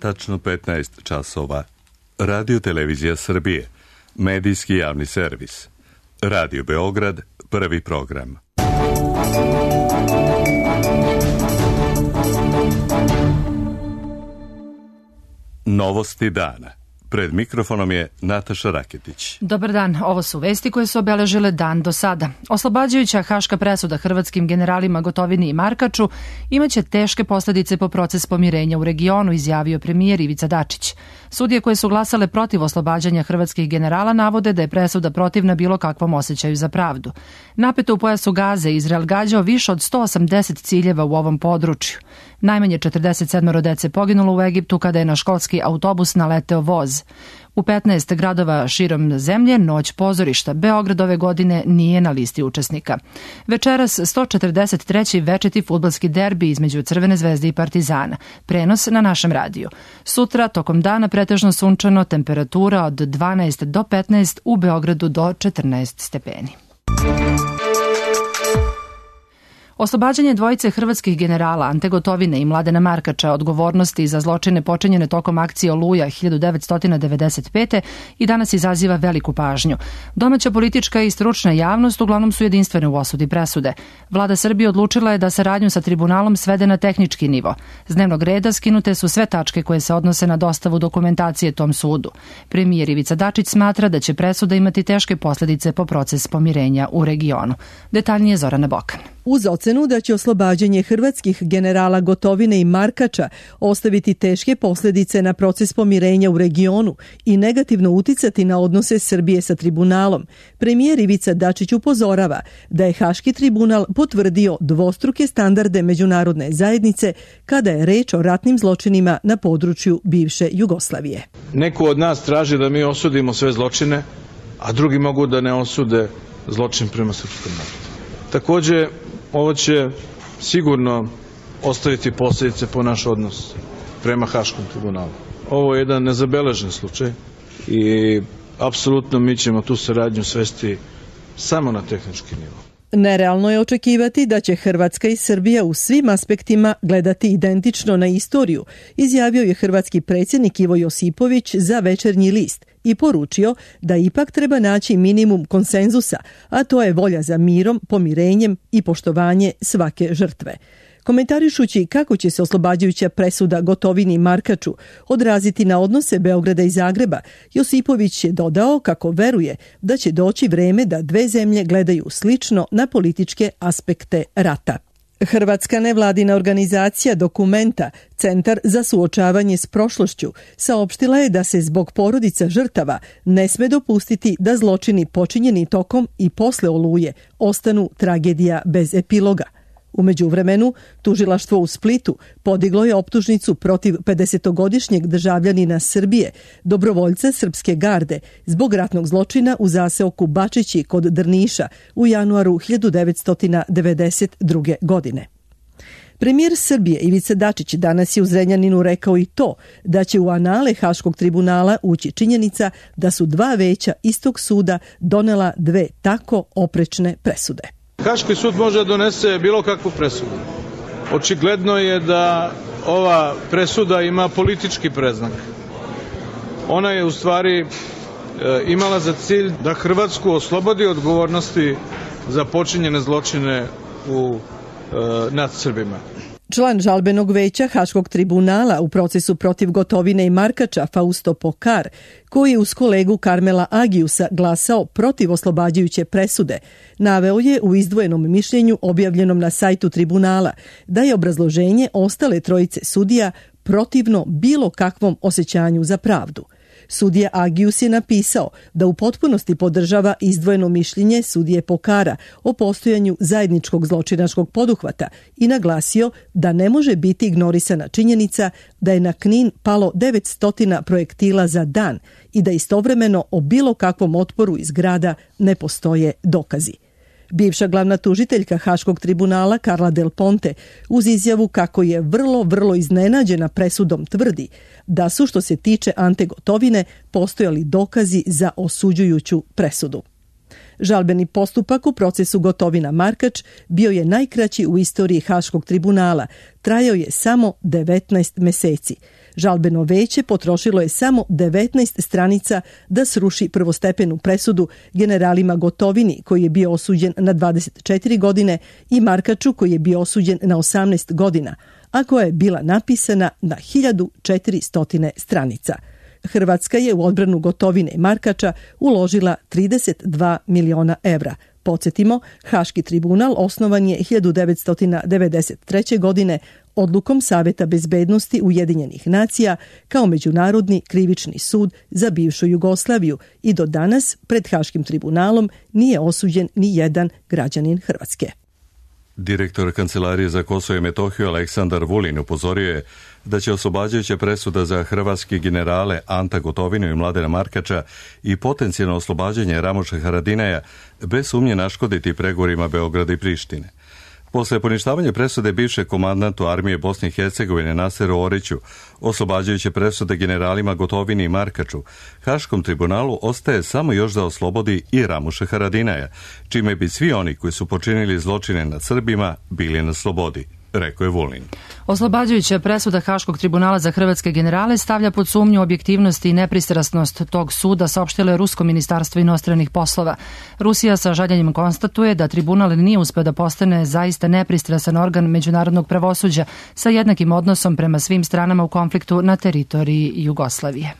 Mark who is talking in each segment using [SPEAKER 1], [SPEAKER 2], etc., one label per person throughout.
[SPEAKER 1] tačno 15 časova. Radio Televizija Srbije, medijski javni servis. Radio Beograd, prvi program. Novosti dana. Pred mikrofonom je Nataša Raketić.
[SPEAKER 2] Dobar dan, ovo su vesti koje su obeležile dan do sada. Oslobađajuća haška presuda hrvatskim generalima Gotovini i Markaču imaće teške posljedice po proces pomirenja u regionu, izjavio premijer Ivica Dačić. Sudije koje su glasale protiv oslobađanja hrvatskih generala navode da je presuda protivna bilo kakvom osjećaju za pravdu. Napeto u pojasu Gaze Izrael gađao više od 180 ciljeva u ovom području. Najmanje 47 dece poginulo u Egiptu kada je na školski autobus naleteo voz. U 15 gradova širom zemlje noć pozorišta. Beograd ove godine nije na listi učesnika. Večeras 143. večiti fudbalski derbi između Crvene zvezde i Partizana. Prenos na našem radiju. Sutra tokom dana pretežno sunčano, temperatura od 12 do 15, u Beogradu do 14 stepeni. Oslobađanje dvojice hrvatskih generala Ante Gotovine i Mladena Markača odgovornosti za zločine počinjene tokom akcije Oluja 1995. i danas izaziva veliku pažnju. Domaća politička i stručna javnost uglavnom su jedinstvene u osudi presude. Vlada Srbije odlučila je da saradnju sa tribunalom svede na tehnički nivo. S dnevnog reda skinute su sve tačke koje se odnose na dostavu dokumentacije tom sudu. Premijer Ivica Dačić smatra da će presuda imati teške posljedice po proces pomirenja u regionu. Detaljnije Zorana Bokan.
[SPEAKER 3] Uz ocenu da će oslobađanje hrvatskih generala Gotovine i Markača ostaviti teške posljedice na proces pomirenja u regionu i negativno uticati na odnose Srbije sa tribunalom, premijer Ivica Dačić upozorava da je Haški tribunal potvrdio dvostruke standarde međunarodne zajednice kada je reč o ratnim zločinima na području bivše Jugoslavije.
[SPEAKER 4] Neko od nas traži da mi osudimo sve zločine, a drugi mogu da ne osude zločin prema srpskom narodu. Takođe, ovo će sigurno ostaviti posljedice po naš odnos prema Haškom tribunalu. Ovo je jedan nezabeležen slučaj i apsolutno mi ćemo tu saradnju svesti samo na tehnički nivo.
[SPEAKER 3] Nerealno je očekivati da će Hrvatska i Srbija u svim aspektima gledati identično na istoriju, izjavio je hrvatski predsjednik Ivo Josipović za Večernji list i poručio da ipak treba naći minimum konsenzusa, a to je volja za mirom, pomirenjem i poštovanje svake žrtve. Komentarišući kako će se oslobađajuća presuda Gotovini i Markaču odraziti na odnose Beograda i Zagreba, Josipović je dodao kako veruje da će doći vreme da dve zemlje gledaju slično na političke aspekte rata. Hrvatska nevladina organizacija Dokumenta, Centar za suočavanje s prošlošću, saopštila je da se zbog porodica žrtava ne sme dopustiti da zločini počinjeni tokom i posle Oluje ostanu tragedija bez epiloga. U međuvremenu, tužilaštvo u Splitu podiglo je optužnicu protiv 50-godišnjeg državljanina Srbije, dobrovoljca Srpske garde, zbog ratnog zločina u zaseoku Bačići kod Drniša u januaru 1992. godine. Premijer Srbije Ivica Dačić danas je u Zrenjaninu rekao i to da će u anale Haškog tribunala ući činjenica da su dva veća istog suda donela dve tako oprečne presude.
[SPEAKER 4] Haški sud može da donese bilo kakvu presudu. Očigledno je da ova presuda ima politički predznak. Ona je u stvari imala za cilj da Hrvatsku oslobodi odgovornosti za počinjene zločine nad Srbima.
[SPEAKER 3] Član žalbenog veća Haškog tribunala u procesu protiv Gotovine i Markača Fausto Pokar, koji je uz kolegu Karmela Agiusa glasao protiv oslobađajuće presude, naveo je u izdvojenom mišljenju objavljenom na sajtu tribunala da je obrazloženje ostale trojice sudija protivno bilo kakvom osjećanju za pravdu. Sudija Agius je napisao da u potpunosti podržava izdvojeno mišljenje sudije Pokara o postojanju zajedničkog zločinačkog poduhvata i naglasio da ne može biti ignorisana činjenica da je na Knin palo 900 projektila za dan i da istovremeno o bilo kakvom otporu iz grada ne postoje dokazi. Bivša glavna tužiteljka Haškog tribunala Carla Del Ponte uz izjavu kako je vrlo iznenađena presudom tvrdi da su, što se tiče Ante Gotovine, postojali dokazi za osuđujuću presudu. Žalbeni postupak u procesu Gotovina Markač bio je najkraći u istoriji Haškog tribunala. Trajao je samo 19 meseci. Žalbeno veće potrošilo je samo 19 stranica da sruši prvostepenu presudu generalima Gotovini, koji je bio osuđen na 24 godine, i Markaču, koji je bio osuđen na 18 godina, a koja je bila napisana na 1400 stranica. Hrvatska je u odbranu Gotovine i Markača uložila 32 miliona evra. Podsjetimo, Haški tribunal osnovan je 1993. godine odlukom Saveta bezbednosti Ujedinjenih nacija kao međunarodni krivični sud za bivšu Jugoslaviju i do danas pred Haškim tribunalom nije osuđen ni jedan građanin Hrvatske.
[SPEAKER 1] Direktor Kancelarije za Kosovo i Metohiju Aleksandar Vulin upozorio je da će oslobađajuća presuda za hrvatski generale Anta Gotovinu i Mladena Markača i potencijalno oslobađanje Ramuša Haradinaja bez sumnje naškoditi pregovorima Beograda i Prištine. Posle poništavanja presude bivšeg komandantu armije Bosne i Hercegovine Naseru Oriću, oslobađajuće presude generalima Gotovini i Markaču, Haškom tribunalu ostaje samo još da oslobodi i Ramuša Haradinaja, čime bi svi oni koji su počinili zločine nad Srbima bili na slobodi, rekao je Vulin.
[SPEAKER 2] Oslobađajuća presuda Haškog tribunala za hrvatske generale stavlja pod sumnju objektivnost i nepristrasnost tog suda, saopštilo je Rusko ministarstvo inostranih poslova. Rusija sa žaljenjem konstatuje da tribunal nije uspeo da postane zaista nepristrasan organ međunarodnog pravosuđa sa jednakim odnosom prema svim stranama u konfliktu na teritoriji Jugoslavije.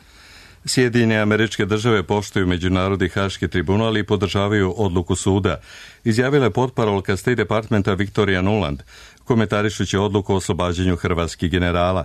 [SPEAKER 1] Sjedinjene Američke Države poštuju Međunarodni Haški tribunal i podržavaju odluku suda, izjavila je potparolka State Departmenta Victoria Nuland, komentarišući odluku o oslobađanju hrvatskih generala.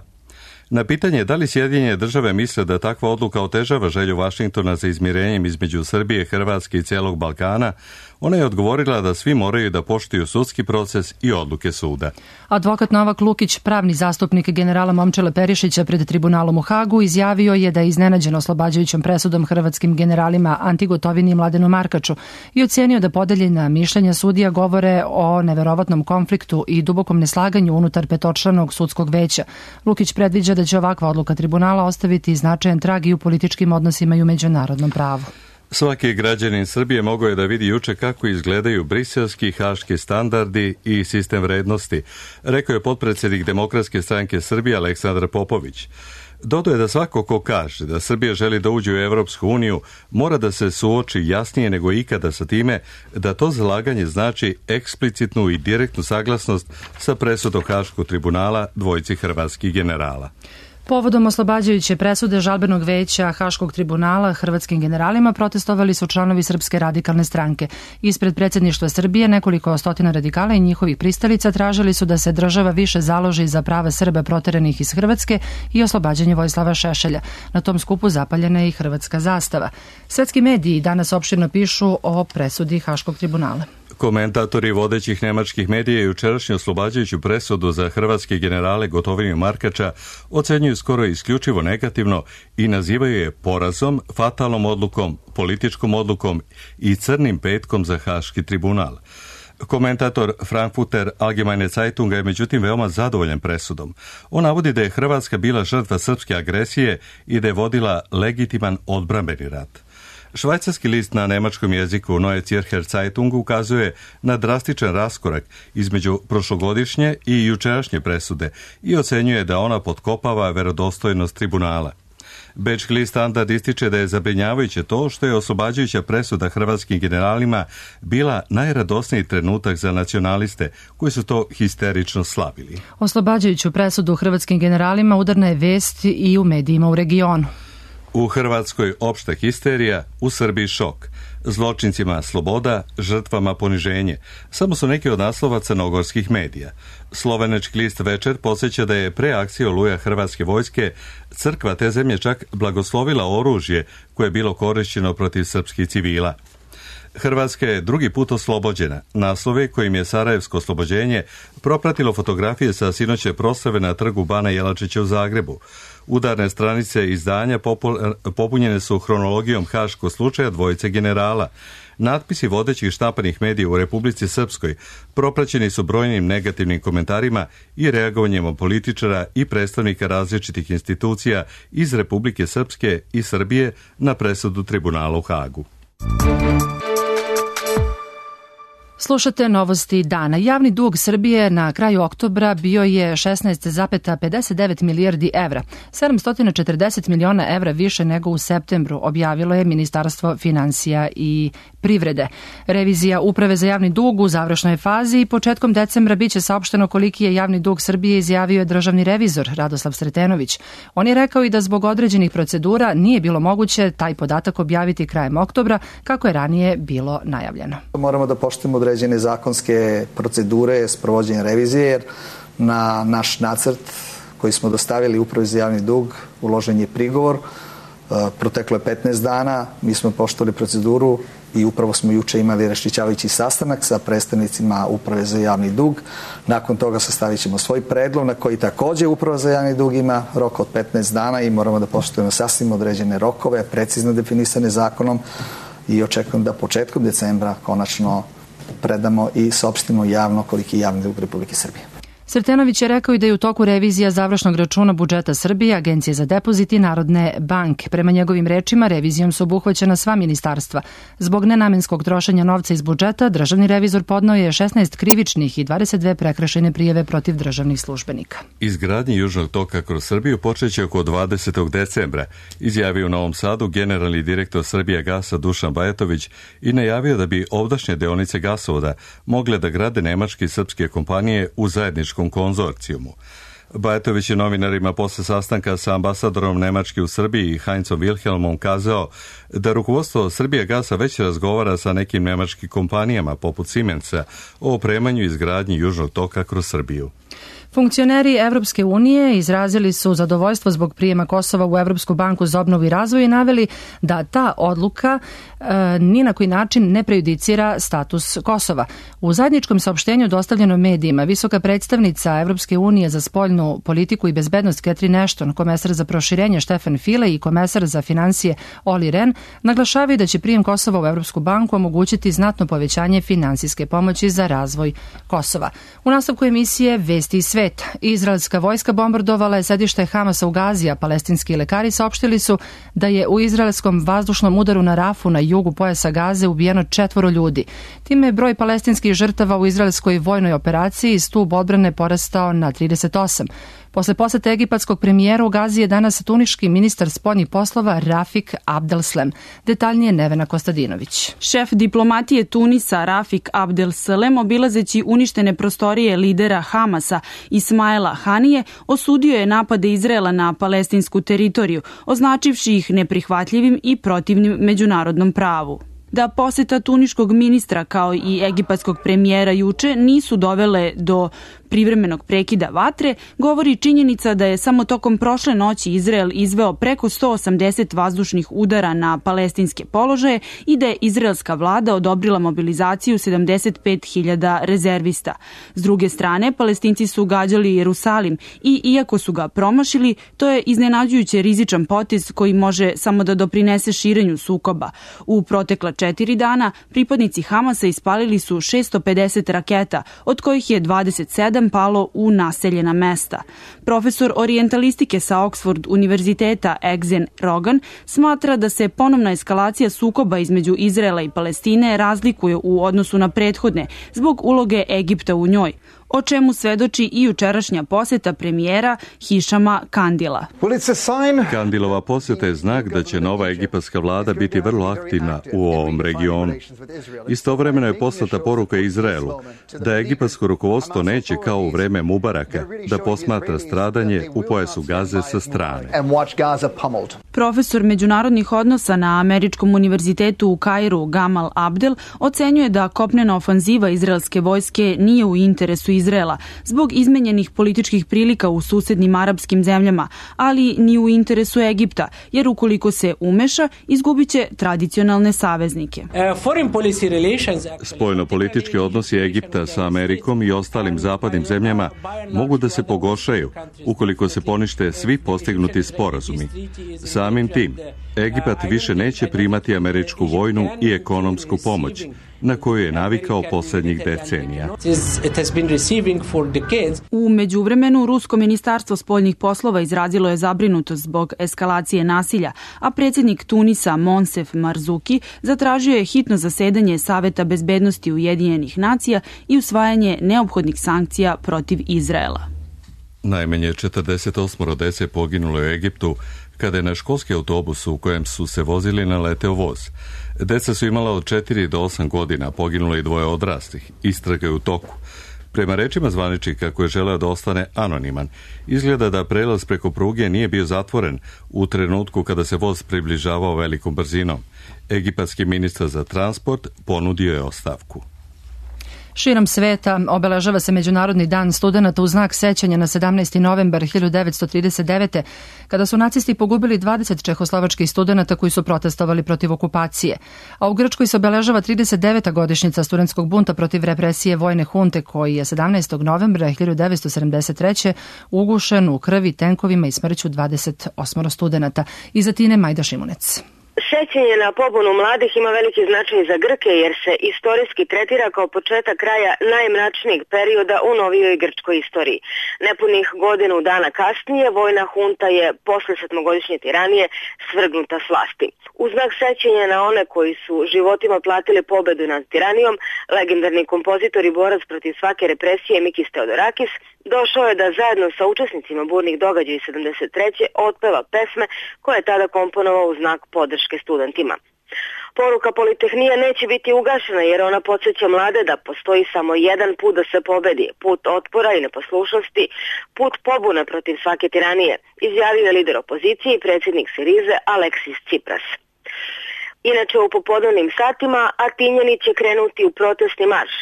[SPEAKER 1] Na pitanje da li Sjedinjene Države misle da takva odluka otežava želju Vašingtona za izmirenjem između Srbije, Hrvatske i cijelog Balkana, ona je odgovorila da svi moraju da poštuju sudski proces i odluke suda.
[SPEAKER 2] Advokat Novak Lukić, pravni zastupnik generala Momčila Perišića pred tribunalom u Hagu, izjavio je da je iznenađen oslobađajućom presudom hrvatskim generalima Anti Gotovini i Mladenu Markaču i ocenio da podeljena mišljenja sudija govore o neverovatnom konfliktu i dubokom neslaganju unutar petočlanog sudskog veća. Lukić predviđa da će ovakva odluka tribunala ostaviti značajan trag i u političkim odnosima i u međunarodnom pravu.
[SPEAKER 1] Svaki građanin Srbije mogao je da vidi juče kako izgledaju briselski haški standardi i sistem vrednosti, rekao je potpredsjednik Demokratske stranke Srbije Aleksandar Popović. Dodao je da svako ko kaže da Srbija želi da uđe u Evropsku uniju mora da se suoči jasnije nego ikada sa time da to zalaganje znači eksplicitnu i direktnu saglasnost sa presudom Haškog tribunala dvojici hrvatskih generala.
[SPEAKER 2] Povodom oslobađajuće presude žalbenog veća Haškog tribunala hrvatskim generalima protestovali su članovi Srpske radikalne stranke. Ispred predsjedništva Srbije nekoliko stotina radikala i njihovih pristalica tražili su da se država više založi za prava Srba proteranih iz Hrvatske i oslobađanje Vojislava Šešelja. Na tom skupu zapaljena je i hrvatska zastava. Svetski mediji danas opširno pišu o presudi Haškog tribunala.
[SPEAKER 1] Komentatori vodećih nemačkih medija jučerašnju oslobađajuću presudu za hrvatske generale Gotovinu i Markača ocenjuju skoro isključivo negativno i nazivaju je porazom, fatalnom odlukom, političkom odlukom i crnim petkom za Haški tribunal. Komentator Frankfurter Allgemeine Zeitunga je međutim veoma zadovoljan presudom. On navodi da je Hrvatska bila žrtva srpske agresije i da je vodila legitiman odbrambeni rat. Švajcarski list na nemačkom jeziku Neue Zürcher Zeitung ukazuje na drastičan raskorak između prošlogodišnje i jučerašnje presude i ocenjuje da ona potkopava verodostojnost tribunala. Bečki list Standard ističe da je zabrinjavajuće to što je oslobađajuća presuda hrvatskim generalima bila najradosniji trenutak za nacionaliste koji su to histerično slavili.
[SPEAKER 2] Oslobađajuću presudu hrvatskim generalima udarna je vest i u medijima u regionu.
[SPEAKER 1] U Hrvatskoj opšta histerija, u Srbiji šok. Zločincima sloboda, žrtvama poniženje. Samo su neki od naslova crnogorskih medija. Slovenački list Večer podsjeća da je pre akcije Oluja hrvatske vojske crkva te zemlje čak blagoslovila oružje koje je bilo korišćeno protiv srpskih civila. Hrvatska je drugi put oslobođena. Naslove kojim je Sarajevsko oslobođenje propratilo fotografije sa sinoće proslave na trgu Bana Jelačića u Zagrebu. Udarne stranice izdanja popunjene su hronologijom haškog slučaja dvojice generala. Natpisi vodećih štampanih medija u Republici Srpskoj propraćeni su brojnim negativnim komentarima i reagovanjem političara i predstavnika različitih institucija iz Republike Srpske i Srbije na presudu tribunala u Hagu.
[SPEAKER 2] Slušate novosti dana. Javni dug Srbije na kraju oktobra bio je 16,59 milijardi evra, 740 miliona evra više nego u septembru, objavilo je Ministarstvo finansija i privrede. Revizija Uprave za javni dug u završnoj je fazi i početkom decembra biće saopšteno koliki je javni dug Srbije, izjavio je državni revizor Radoslav Sretenović. On je rekao i da zbog određenih procedura nije bilo moguće taj podatak objaviti krajem oktobra, kako je ranije bilo najavljeno.
[SPEAKER 5] Moramo da poštujemo određene zakonske procedure sprovođenja revizije, jer na naš nacrt koji smo dostavili Upravi za javni dug uložen je prigovor. Proteklo je 15 dana, mi smo poštovali proceduru i upravo smo juče imali raščišćavajući sastanak sa predstavnicima Uprave za javni dug. Nakon toga sastavit ćemo svoj predlog na koji takođe Uprava za javni dug ima rok od 15 dana i moramo da poštujemo sasvim određene rokove, precizno definisane zakonom, i očekujem da početkom decembra konačno predamo i saopštimo javno koliki je javni dug Republike Srbije.
[SPEAKER 2] Sretenović je rekao i da je u toku revizija završnog računa budžeta Srbije, Agencije za depozit i Narodne banke. Prema njegovim rečima, revizijom su obuhvaćena sva ministarstva. Zbog nenamenskog trošenja novca iz budžeta, državni revizor podneo je 16 krivičnih i 22 prekršajne prijave protiv državnih službenika.
[SPEAKER 1] Izgradnje Južnog toka kroz Srbiju počeće oko 20. decembra, izjavio u Novom Sadu generalni direktor Srbijagasa Dušan Bajatović i najavio da bi ovdašnje deonice gasovoda mogle da grade nemačke i srpske kompanije u zajedničkom konzorcijumu. Bajatović je novinarima posle sastanka sa ambasadorom Nemačke u Srbiji Heinzom Wilhelmom kazao da rukovodstvo Srbijagasa već razgovara sa nekim nemačkim kompanijama poput Siemensa o opremanju i izgradnji Južnog toka kroz Srbiju.
[SPEAKER 2] Funkcioneri Evropske unije izrazili su zadovoljstvo zbog prijema Kosova u Evropsku banku za obnovu i razvoj i naveli da ta odluka ni na koji način ne prejudicira status Kosova. U zajedničkom saopštenju dostavljenom medijima visoka predstavnica Evropske unije za spoljnu politiku i bezbednost Catherine Ashton, komesar za proširenje Stefan Füle i komesar za finansije Olli Rehn naglašavaju da će prijem Kosova u Evropsku banku omogućiti znatno povećanje finansijske pomoći za razvoj Kosova. U nastavku emisije Vesti i svet. Izraelska vojska bombardovala je sedište Hamasa u Gazi, a palestinski lekari saopštili su da je u izraelskom vazdušnom udaru na Rafu na jugu pojasa Gaze ubijeno 4 ljudi. Time je broj palestinskih žrtava u izraelskoj vojnoj operaciji stub odbrane porastao na 38. Posle posete egipatskog premijera u Gazi je danas tuniški ministar spoljnih poslova Rafik Abdelslam. Detaljnije Nevena Kostadinović.
[SPEAKER 6] Šef diplomatije Tunisa Rafik Abdelslam, obilazeći uništene prostorije lidera Hamasa Ismaila Hanije, osudio je napade Izraela na palestinsku teritoriju, označivši ih neprihvatljivim i protivnim međunarodnom pravu. Da poseta tuniškog ministra kao i egipatskog premijera juče nisu dovele do privremenog prekida vatre, govori činjenica da je samo tokom prošle noći Izrael izveo preko 180 vazdušnih udara na palestinske položaje i da je izraelska vlada odobrila mobilizaciju 75.000 rezervista. S druge strane, Palestinci su gađali Jerusalim i iako su ga promašili, to je iznenađujuće rizičan potez koji može samo da doprinese širenju sukoba. U protekla 4 dana pripadnici Hamasa ispalili su 650 raketa, od kojih je 27 palo u naseljena mesta. Profesor orijentalistike sa Oxford univerziteta Exen Rogan smatra da se ponovna eskalacija sukoba između Izraela i Palestine razlikuje u odnosu na prethodne zbog uloge Egipta u njoj, o čemu svedoči i jučerašnja poseta premijera Hišama Kandila.
[SPEAKER 1] Kandilova poseta je znak da će nova egipatska vlada biti vrlo aktivna u ovom regionu. Istovremeno je poslata poruka Izraelu da egipatsko rukovodstvo neće kao u vreme Mubaraka da posmatra stradanje u pojasu Gaze sa strane.
[SPEAKER 6] Profesor međunarodnih odnosa na Američkom univerzitetu u Kairu Gamal Abdel ocenjuje da kopnena ofanziva izraelske vojske nije u interesu Izraela zbog izmenjenih političkih prilika u susednim arapskim zemljama, ali ni u interesu Egipta, jer ukoliko se umeša, izgubiće tradicionalne saveznike.
[SPEAKER 1] Spoljno-politički odnosi Egipta sa Amerikom i ostalim zapadnim zemljama mogu da se pogoršaju ukoliko se ponište svi postignuti sporazumi. Samim tim, Egipat više neće primati američku vojnu i ekonomsku pomoć na koju je navikao poslednjih decenija.
[SPEAKER 6] U međuvremenu, Rusko ministarstvo spoljnih poslova izrazilo je zabrinutost zbog eskalacije nasilja, a predsjednik Tunisa Monsef Marzuki zatražio je hitno zasedanje Saveta bezbednosti Ujedinjenih nacija i usvajanje neophodnih sankcija protiv Izraela.
[SPEAKER 1] Najmanje 48 dece poginulo u Egiptu kada je na školski autobus u kojem su se vozili naleteo voz. Deca su imala od 4 do 8 godina, poginulo i 2 odraslih. Istraga je u toku. Prema rečima zvaničnika koji je želeo da ostane anoniman, izgleda da prelaz preko pruge nije bio zatvoren u trenutku kada se voz približavao velikom brzinom. Egipatski ministar za transport ponudio je ostavku.
[SPEAKER 2] Širom sveta obeležava se Međunarodni dan studenata u znak sećanja na 17. novembar 1939. kada su nacisti pogubili 20 čehoslovačkih studenata koji su protestovali protiv okupacije. A u Grčkoj se obeležava 39. godišnjica studentskog bunta protiv represije vojne hunte koji je 17. novembra 1973. ugušen u krvi, tenkovima i smrću 28 studenata. Iz Atine Majda Šimunec.
[SPEAKER 7] Sećanje na pobunu mladih ima veliki značaj za Grke jer se istorijski tretira kao početak kraja najmračnijeg perioda u novijoj grčkoj istoriji. Nepunih godinu dana kasnije vojna hunta je posle 7-godišnje tiranije svrgnuta s vlasti. U znak sećanja na one koji su životima platili pobedu nad tiranijom, legendarni kompozitor i borac protiv svake represije Mikis Theodorakis došao je da zajedno sa učesnicima burnih događaja 73. otpeva pesme koje je tada komponovao u znak podrške studentima. Poruka Politehnije neće biti ugašena jer ona podsjeća mlade da postoji samo jedan put da se pobedi, put otpora i neposlušnosti, put pobune protiv svake tiranije, izjavio je lider opozicije i predsjednik Sirize Aleksis Tsipras. Inače, u popodnevnim satima Atinjani će krenuti u protestni marš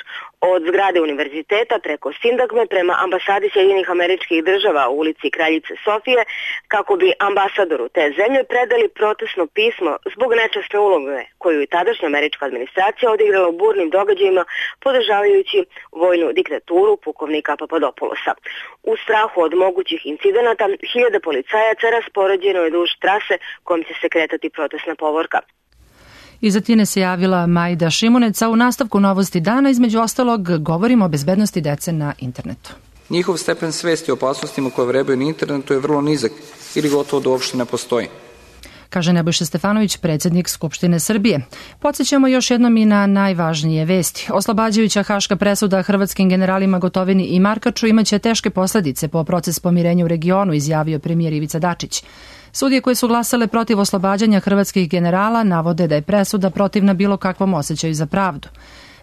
[SPEAKER 7] od zgrade univerziteta preko Sindagme prema ambasadi Sjedinjenih Američkih Država u ulici Kraljice Sofije kako bi ambasadoru te zemlje predali protestno pismo zbog nečasne uloge koju je tadašnja američka administracija odigrala u burnim događajima podržavajući vojnu diktaturu pukovnika Papadopoulosa. U strahu od mogućih incidenata, hiljade policajaca raspoređeno je duž trase kojom će se kretati protestna povorka.
[SPEAKER 2] Iz Atine se javila Majda Šimunec, a u nastavku novosti dana, između ostalog, govorimo o bezbednosti dece na internetu.
[SPEAKER 8] Njihov stepen svesti o opasnostima koje vrebaju na internetu je vrlo nizak ili gotovo da uopšte ne postoji,
[SPEAKER 2] kaže Nebojša Stefanović, predsjednik Skupštine Srbije. Podsjećamo još jednom i na najvažnije vesti. Oslobađajuća haška presuda hrvatskim generalima Gotovini i Markaču imaće teške posledice po proces pomirenja u regionu, izjavio premijer Ivica Dačić. Sudije koje su glasale protiv oslobađanja hrvatskih generala navode da je presuda protivna bilo kakvom osjećaju za pravdu.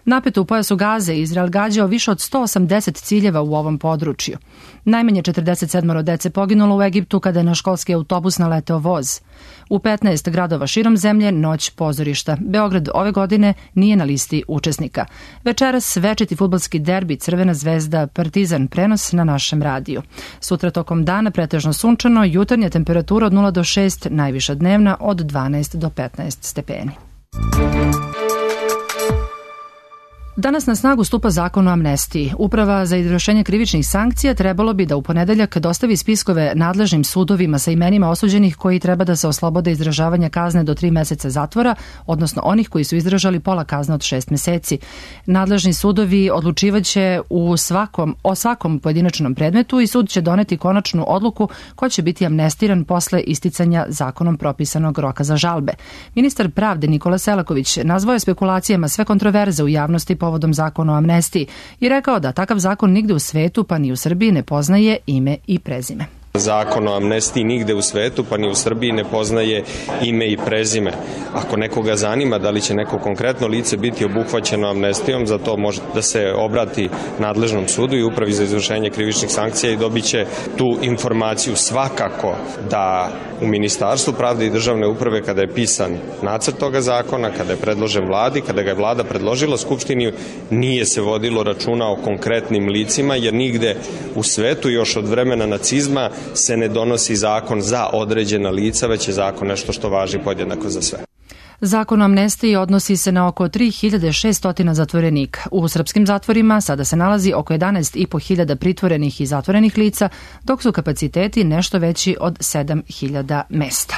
[SPEAKER 2] Napeto u pojasu Gaze, Izrael gađao više od 180 ciljeva u ovom području. Najmanje 47 dece poginulo u Egiptu kada je na školski autobus naleteo voz. U 15 gradova širom zemlje noć pozorišta. Beograd ove godine nije na listi učesnika. Večeras večiti fudbalski derbi Crvena zvezda Partizan, prenos na našem radiju. Sutra tokom dana pretežno sunčano, jutarnja temperatura od 0 do 6, najviša dnevna od 12 do 15 stepeni. Danas na snagu stupa zakon o amnestiji. Uprava za izvršenje krivičnih sankcija trebalo bi da u ponedeljak dostavi spiskove nadležnim sudovima sa imenima osuđenih koji treba da se oslobode izražavanja kazne do 3 meseca zatvora, odnosno onih koji su izdržali pola kazne od 6 meseci. Nadležni sudovi odlučivaće o svakom pojedinačnom predmetu i sud će doneti konačnu odluku ko će biti amnestiran posle isticanja zakonom propisanog roka za žalbe. Ministar pravde Nikola Selaković nazvao je spekulacijama sve kontroverze u javnosti povodom zakona o amnestiji i rekao da takav zakon nigde u svetu pa ni u Srbiji ne poznaje ime i prezime.
[SPEAKER 9] Zakon o amnestiji nigde u svetu, pa ni u Srbiji, ne poznaje ime i prezime. Ako nekoga zanima da li će neko konkretno lice biti obuhvaćeno amnestijom, za to može da se obrati nadležnom sudu i upravi za izvršenje krivičnih sankcija i dobit će tu informaciju. Svakako da u Ministarstvu pravde i državne uprave, kada je pisan nacrt toga zakona, kada je predložen vladi, kada ga je vlada predložila Skupštini, nije se vodilo računa o konkretnim licima, jer nigde u svetu još od vremena nacizma se ne donosi zakon za određena lica, već je zakon nešto što važi podjednako za sve.
[SPEAKER 2] Zakon o amnestiji odnosi se na oko 3600 zatvorenika. U srpskim zatvorima sada se nalazi oko 11.500 pritvorenih i zatvorenih lica, dok su kapaciteti nešto veći od 7000 mesta.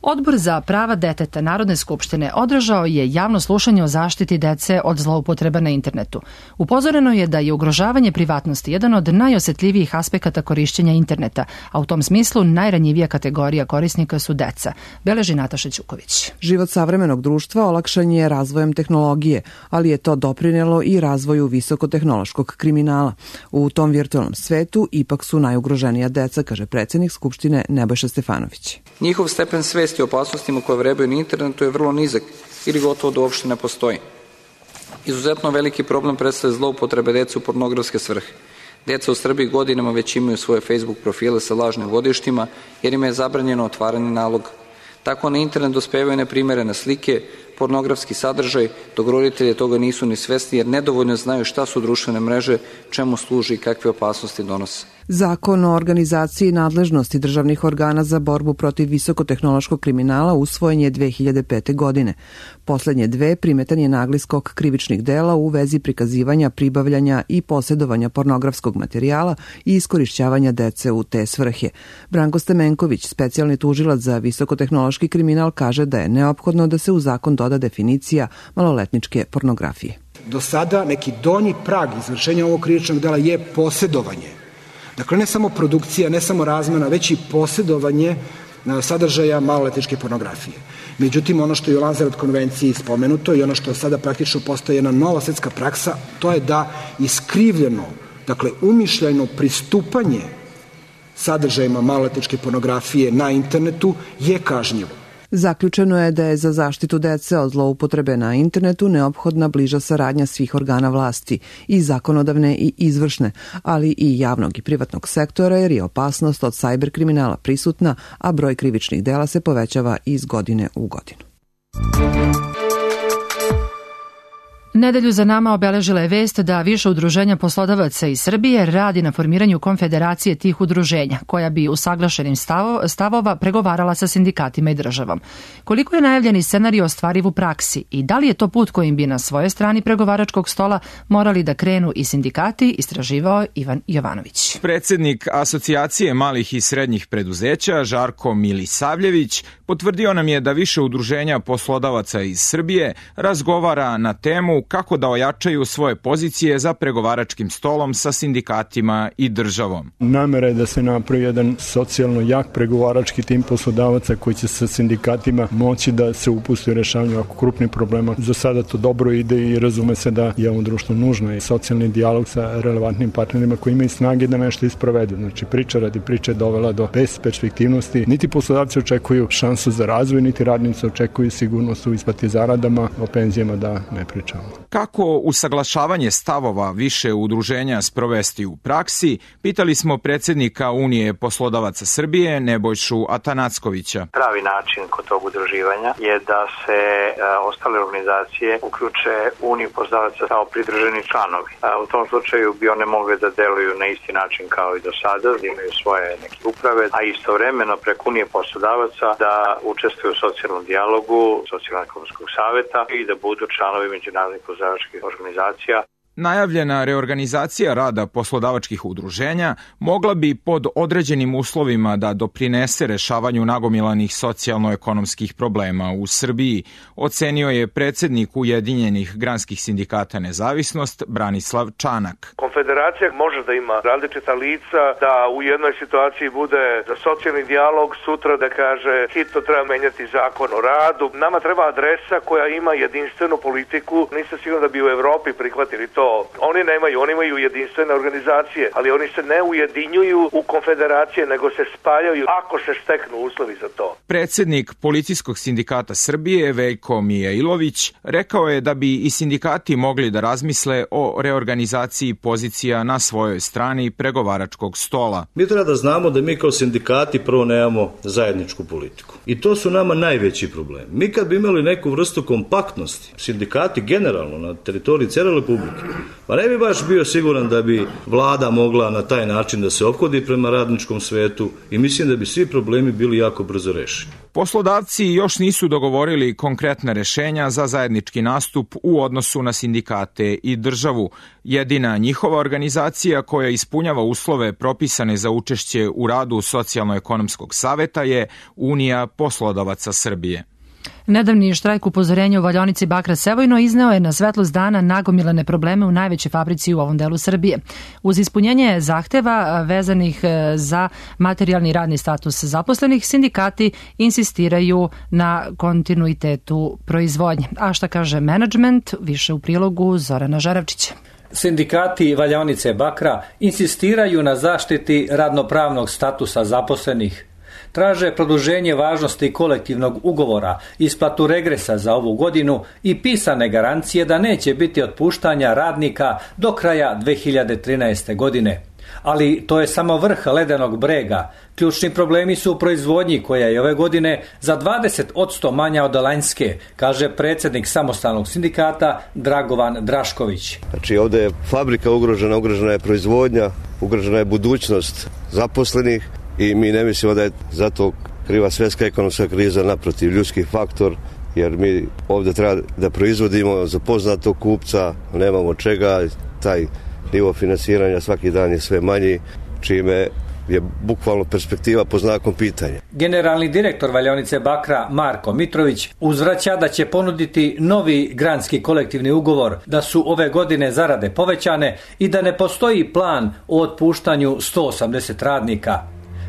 [SPEAKER 2] Odbor za prava deteta Narodne skupštine održao je javno slušanje o zaštiti dece od zloupotreba na internetu. Upozoreno je da je ugrožavanje privatnosti jedan od najosetljivijih aspekata korišćenja interneta, a u tom smislu najranjivija kategorija korisnika su deca, beleži Nataša Ćuković.
[SPEAKER 10] Život savremenog društva olakšan je razvojem tehnologije, ali je to doprinelo i razvoju visokotehnološkog kriminala. U tom virtualnom svetu ipak su najugroženija deca, kaže predsjednik Skupštine Nebojša Stefanović.
[SPEAKER 8] Njihov stepen svesti o opasnostima koje vrebaju na internetu je vrlo nizak ili gotovo da uopšte ne postoji. Izuzetno veliki problem predstavlja zloupotrebe dece u pornografske svrhe. Deca u Srbiji godinama već imaju svoje Facebook profile sa lažnim godištima jer im je zabranjeno otvaranje naloga. Tako na internet dospevaju neprimerene slike, pornografski sadržaj, dok roditelji toga nisu ni svesni jer nedovoljno znaju šta su društvene mreže, čemu služi i kakve opasnosti donose.
[SPEAKER 10] Zakon o organizaciji nadležnosti državnih organa za borbu protiv visokotehnološkog kriminala usvojen je 2005. godine. Poslednje dve primetan je nagli skok krivičnih dela u vezi prikazivanja, pribavljanja i posjedovanja pornografskog materijala i iskorišćavanja dece u te svrhe. Branko Stemenković, specijalni tužilac za visokotehnološki kriminal, kaže da je neophodno da se u zakon doda definicija maloletničke pornografije.
[SPEAKER 11] Do sada neki donji prag izvršenja ovog krivičnog dela je posjedovanje. Dakle, ne samo produkcija, ne samo razmena, već i posjedovanje sadržaja maloletničke pornografije. Međutim, ono što je u Lanzarote konvenciji spomenuto i ono što sada praktično postaje jedna nova svetska praksa, to je da iskrivljeno, dakle umišljajno pristupanje sadržajima maloletničke pornografije na internetu je kažnjivo.
[SPEAKER 10] Zaključeno je da je za zaštitu dece od zloupotrebe na internetu neophodna bliža saradnja svih organa vlasti, i zakonodavne i izvršne, ali i javnog i privatnog sektora, jer je opasnost od sajber kriminala prisutna, a broj krivičnih dela se povećava iz godine u godinu.
[SPEAKER 2] Nedelju za nama obeležila je vest da više udruženja poslodavaca iz Srbije radi na formiranju konfederacije tih udruženja, koja bi usaglašenim stavova pregovarala sa sindikatima i državom. Koliko je najavljeni scenario ostvariv u praksi i da li je to put kojim bi na svojoj strani pregovaračkog stola morali da krenu i sindikati, istraživao Ivan Jovanović.
[SPEAKER 12] Predsednik Asocijacije malih i srednjih preduzeća Žarko Milisavljević potvrdio nam je da više udruženja poslodavaca iz Srbije razgovara na temu kako da ojačaju svoje pozicije za pregovaračkim stolom sa sindikatima i državom.
[SPEAKER 13] Namera je da se napravi jedan socijalno jak pregovarački tim poslodavaca koji će sa sindikatima moći da se upusti u rešavanju ovako krupnih problema. Za sada to dobro ide i razume se da je ovom društvu nužno i socijalni dijalog sa relevantnim partnerima koji imaju snage da nešto isprovedu. Znači priča radi priče je dovela do besperspektivnosti. Niti poslodavci očekuju šansu za razvoj, niti radnici očekuju sigurnost u isplati zaradama, o penzijama da ne pričamo.
[SPEAKER 12] Kako usaglašavanje stavova više udruženja sprovesti u praksi, pitali smo predsjednika Unije poslodavaca Srbije Nebojšu Atanackovića.
[SPEAKER 14] Pravi način kod tog udruživanja je da se ostale organizacije uključe Uniju poslodavaca kao pridruženi članovi. U tom slučaju bi one mogle da deluju na isti način kao i do sada, da imaju svoje neke uprave, a istovremeno preko Unije poslodavaca da učestvuju u socijalnom dijalogu, socijalno-ekonomskog saveta i da budu članovi međunarodnih poslodavačkih organizacija.
[SPEAKER 12] Najavljena reorganizacija rada poslodavačkih udruženja mogla bi pod određenim uslovima da doprinese rešavanju nagomilanih socijalno-ekonomskih problema u Srbiji, ocenio je predsjednik Ujedinjenih granskih sindikata Nezavisnost Branislav Čanak.
[SPEAKER 15] Konfederacija može da ima različita lica, da u jednoj situaciji bude za socijalni dijalog, sutra da kaže hitno treba menjati zakon o radu. Nama treba adresa koja ima jedinstvenu politiku. Nisam siguran da bi u Evropi prihvatili to. Oni nemaju, oni imaju jedinstvene organizacije, ali oni se ne ujedinjuju u konfederacije, nego se spajaju ako se steknu uslovi za to.
[SPEAKER 12] Predsjednik Policijskog sindikata Srbije Veljko Mijailović rekao je da bi i sindikati mogli da razmisle o reorganizaciji pozicija na svojoj strani pregovaračkog stola.
[SPEAKER 16] Mi treba da znamo da mi kao sindikati prvo nemamo zajedničku politiku. I to su nama najveći problem. Mi kad bi imali neku vrstu kompaktnosti, sindikati generalno na teritoriji cijele Republike, Pa ne bi baš bio siguran da bi vlada mogla na taj način da se ophodi prema radničkom svetu i mislim da bi svi problemi bili jako brzo rešeni.
[SPEAKER 12] Poslodavci još nisu dogovorili konkretne rešenja za zajednički nastup u odnosu na sindikate i državu. Jedina njihova organizacija koja ispunjava uslove propisane za učešće u radu Socijalno-ekonomskog saveta je Unija poslodavaca Srbije.
[SPEAKER 2] Nedavni štrajk upozorenja u valjaonici Bakra Sevojno izneo je na svetlost dana nagomilane probleme u najvećoj fabrici u ovom delu Srbije. Uz ispunjenje zahteva vezanih za materijalni radni status zaposlenih, sindikati insistiraju na kontinuitetu proizvodnje. A šta kaže menadžment, više u prilogu Zorana Žaravčića.
[SPEAKER 17] Sindikati valjaonice Bakra insistiraju na zaštiti radnopravnog statusa zaposlenih. Traže produženje važnosti kolektivnog ugovora, isplatu regresa za ovu godinu i pisane garancije da neće biti otpuštanja radnika do kraja 2013. godine. Ali to je samo vrh ledenog brega. Ključni problemi su u proizvodnji koja je ove godine za 20% manja od lanjske, kaže predsjednik samostalnog sindikata Dragovan Drašković.
[SPEAKER 18] Znači ovdje je fabrika ugrožena je proizvodnja, ugrožena je budućnost zaposlenih. I mi ne mislimo da je zato kriva svjetska ekonomska kriza, naprotiv ljudski faktor, jer mi ovdje treba da proizvodimo za poznatog kupca, nemamo čega, taj nivo finansiranja svaki dan je sve manji, čime je bukvalno perspektiva pod znakom pitanja.
[SPEAKER 17] Generalni direktor valjaonice Bakra Marko Mitrović uzvraća da će ponuditi novi granski kolektivni ugovor, da su ove godine zarade povećane i da ne postoji plan o otpuštanju 180 radnika.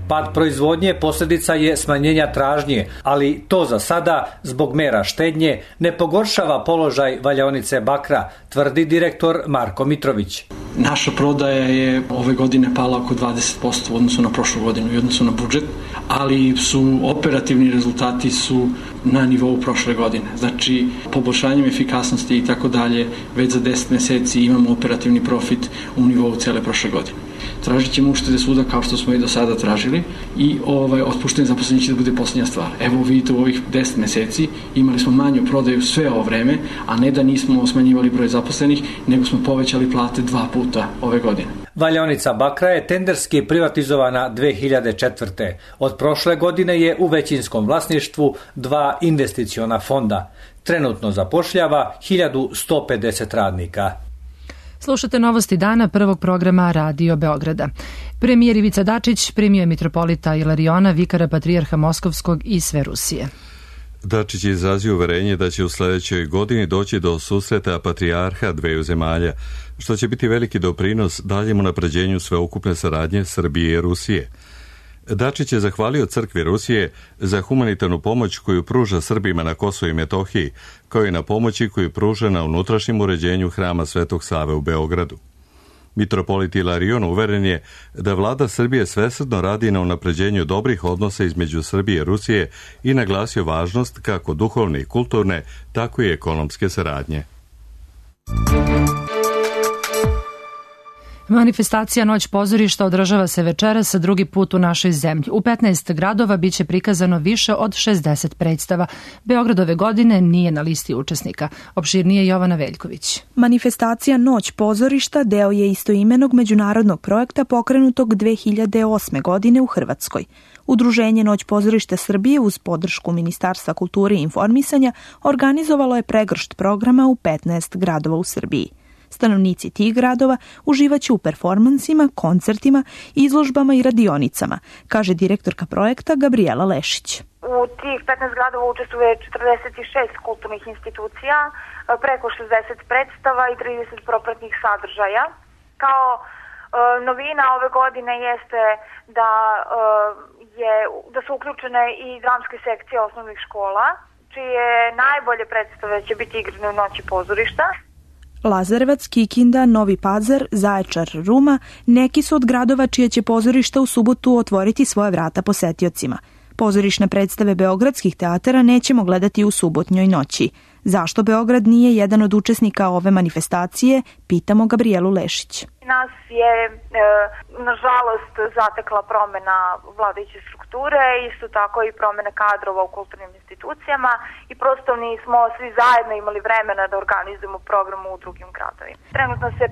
[SPEAKER 17] Pad proizvodnje posljedica je smanjenja tražnje, ali to za sada, zbog mera štednje, ne pogoršava položaj valjaonice Bakra, tvrdi direktor Marko Mitrović.
[SPEAKER 19] Naša prodaja je ove godine pala oko 20% u odnosu na prošlu godinu i odnosu na budžet, ali su operativni rezultati su na nivou prošle godine. Znači, poboljšanjem efikasnosti i tako dalje, već za 10 mjeseci imamo operativni profit u nivou cele prošle godine. Tražit ćemo uštede svuda kao što smo i do sada tražili i otpuštanje zaposlenih će da bude posljednja stvar. Evo vidite, u ovih 10 mjeseci imali smo manju prodaju sve ovo vreme, a ne da nismo smanjivali broj zaposlenih, nego smo povećali plate 2 puta ove godine.
[SPEAKER 17] Valjaonica Bakra je tenderski privatizovana 2004. Od prošle godine je u većinskom vlasništvu 2 investiciona fonda. Trenutno zapošljava 1150 radnika.
[SPEAKER 2] Slušate novosti dana prvog programa Radio Beograda. Premijer Ivica Dačić primio je mitropolita Ilariona, vikara patrijarha Moskovskog i sve Rusije.
[SPEAKER 1] Dačić je izrazio uverenje da će u sljedećoj godini doći do susreta patrijarha dveju zemalja, što će biti veliki doprinos daljem unapređenju sveukupne saradnje Srbije i Rusije. Dačić je zahvalio crkvi Rusije za humanitarnu pomoć koju pruža Srbima na Kosovu i Metohiji, kao i na pomoći koju pruža na unutrašnjem uređenju hrama Svetog Save u Beogradu. Mitropolit Ilarion uveren je da vlada Srbije svesrdno radi na unapređenju dobrih odnosa između Srbije i Rusije i naglasio važnost kako duhovne i kulturne, tako i ekonomske saradnje.
[SPEAKER 2] Manifestacija Noć pozorišta održava se večeras drugi put u našoj zemlji. U 15 gradova biće prikazano više od 60 predstava. Beograd ove godine nije na listi učesnika. Opširnije Jovana Veljković.
[SPEAKER 20] Manifestacija Noć pozorišta deo je istoimenog međunarodnog projekta pokrenutog 2008. godine u Hrvatskoj. Udruženje Noć pozorišta Srbije uz podršku Ministarstva kulture i informisanja organizovalo je pregršt programa u 15 gradova u Srbiji. Stanovnici tih gradova uživaće u performansima, koncertima, izložbama i radionicama, kaže direktorka projekta Gabriela Lešić.
[SPEAKER 21] U tih 15 gradova učestvuje 46 kulturnih institucija, preko 60 predstava i 30 propratnih sadržaja. Kao novina ove godine jeste da su uključene i dramske sekcije osnovnih škola, čije najbolje predstave će biti igrane u Noći pozorišta.
[SPEAKER 20] Lazarevac, Kikinda, Novi Pazar, Zaječar, Ruma neki su od gradova čije će pozorišta u subotu otvoriti svoje vrata posetiocima. Pozorišne predstave beogradskih teatara nećemo gledati u subotnjoj noći. Zašto Beograd nije jedan od učesnika ove manifestacije, pitamo Gabrielu Lešić.
[SPEAKER 21] Nas je, nažalost, zatekla promena vladajuće strukture, isto tako i promene kadrova u kulturnim institucijama i prosto nismo svi zajedno imali vremena da organizujemo program u drugim gradovima. Trenutno se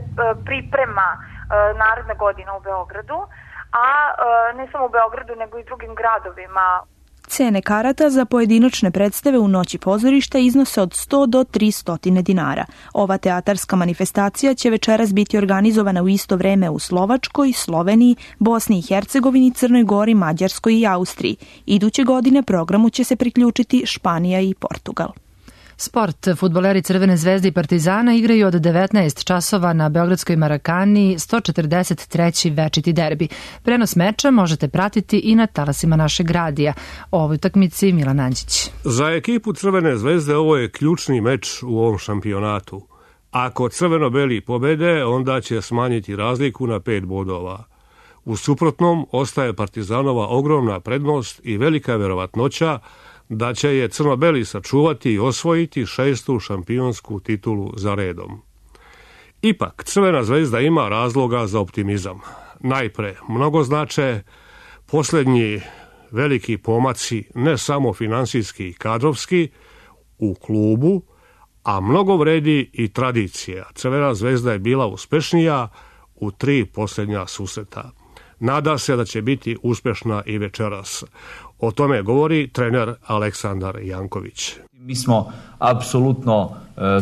[SPEAKER 21] priprema naredna godina u Beogradu, a ne samo u Beogradu nego i drugim gradovima.
[SPEAKER 20] Cene karata za pojedinačne predstave u Noći pozorišta iznose od 100 do 300 dinara. Ova teatarska manifestacija će večeras biti organizovana u isto vreme u Slovačkoj, Sloveniji, Bosni i Hercegovini, Crnoj Gori, Mađarskoj i Austriji. Iduće godine programu će se priključiti Španija i Portugal.
[SPEAKER 2] Sport. Fudbaleri Crvene zvezde i Partizana igraju od 19 časova na Beogradskoj Marakani 143. večiti derbi. Prenos meča možete pratiti i na talasima našeg radija. O ovoj utakmici Milan Anđić.
[SPEAKER 4] Za ekipu Crvene zvezde ovo je ključni meč u ovom šampionatu. Ako crveno-beli pobede, onda će smanjiti razliku na 5 bodova. U suprotnom, ostaje Partizanova ogromna prednost i velika verovatnoća da će je crno-beli sačuvati i osvojiti 6. šampionsku titulu za redom. Ipak, Crvena zvezda ima razloga za optimizam. Najpre, mnogo znače posljednji veliki pomaci, ne samo finansijski i kadrovski, u klubu, a mnogo vredi i tradicija. Crvena zvezda je bila uspešnija u 3 posljednja susreta. Nada se da će biti uspešna i večeras. O tome govori trener Aleksandar Janković.
[SPEAKER 22] Mi smo apsolutno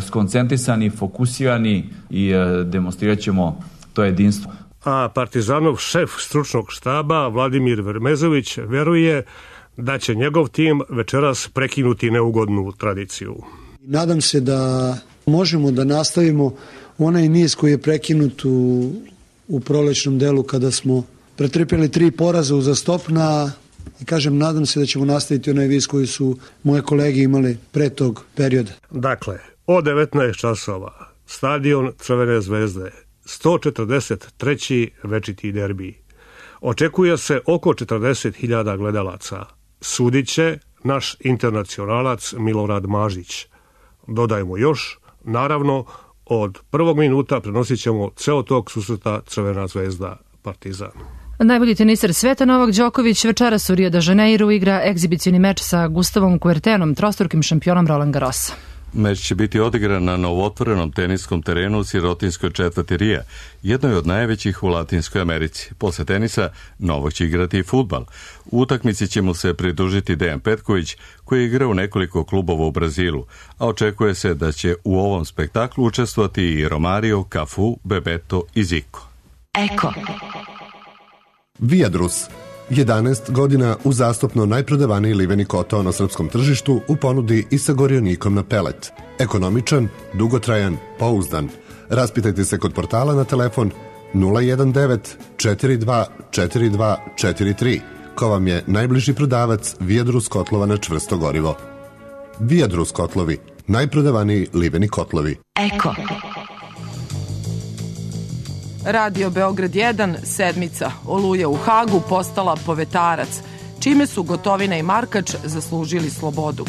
[SPEAKER 22] skoncentrisani, fokusirani i demonstrirat ćemo to jedinstvo.
[SPEAKER 4] A Partizanov šef stručnog štaba Vladimir Vermezović veruje da će njegov tim večeras prekinuti neugodnu tradiciju.
[SPEAKER 23] Nadam se da možemo da nastavimo onaj niz koji je prekinut u prolećnom delu kada smo pretrpjeli 3 poraza uzastopna. I kažem, nadam se da ćemo nastaviti onaj viz koji su moje kolege imali pre tog perioda.
[SPEAKER 4] Dakle, od 19 časova, stadion Crvene zvezde, 143. večiti derbi. Očekuje se oko 40.000 gledalaca. Sudit će naš internacionalac Milorad Mažić. Dodajmo još, naravno, od prvog minuta prenosit ćemo ceo tog susreta Crvena zvezda Partizan.
[SPEAKER 2] Najbolji teniser sveta Novak Đoković večeras u Rio de Janeiru igra egzibicioni meč sa Gustavom Kuertenom, trostrukim šampionom Roland Garrosa.
[SPEAKER 1] Meč će biti odigran na novotvorenom teniskom terenu u sirotinskoj četvrti Rija, jednoj od najvećih u Latinskoj Americi. Posle tenisa Novak će igrati i fudbal. U utakmici će mu se pridružiti Dejan Petković, koji igra u nekoliko klubova u Brazilu, a očekuje se da će u ovom spektaklu učestvovati i Romario, Cafu, Bebeto i Zico.
[SPEAKER 24] Eko. Viadrus. 11 godina uzastopno najprodavaniji liveni kotao na srpskom tržištu u ponudi i sa gorionikom na pelet. Ekonomičan, dugotrajan, pouzdan. Raspitajte se kod portala na telefon 019 42 42 43, ko vam je najbliži prodavac Viadrus kotlova na čvrsto gorivo. Viadrus kotlovi, najprodavaniji liveni kotlovi. Eko.
[SPEAKER 25] Radio Beograd 1, sedmica, Oluja u Hagu postala povetarac, čime su Gotovina i Markač zaslužili slobodu.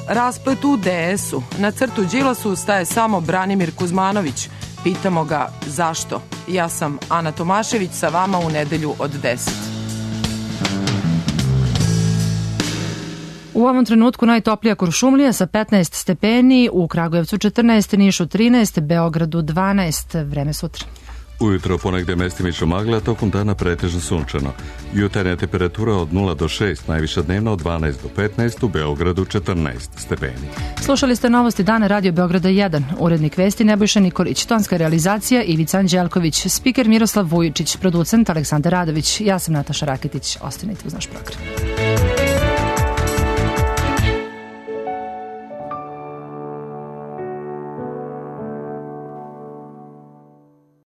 [SPEAKER 25] Rasplet u DS-u, na crtu Đilasu staje samo Branimir Kuzmanović. Pitamo ga zašto. Ja sam Ana Tomašević, sa vama u nedelju od 10.
[SPEAKER 2] U ovom trenutku najtoplija Kuršumlija sa 15 stepeni, u Kragujevcu 14, Nišu 13, Beogradu 12, vreme sutra.
[SPEAKER 1] Ujutro ponegde mestimično magla, tokom dana pretežno sunčano. Jutarnja temperatura od 0 do 6, najviša dnevna od 12 do 15, u Beogradu 14 stepeni.
[SPEAKER 2] Slušali ste novosti dana Radio Beograda 1, urednik vesti Nebojša Nikolić, tonska realizacija Ivica Anđelković, spiker Miroslav Vujičić, producent Aleksandar Radović, ja sam Nataša Raketić, ostanite uz naš program.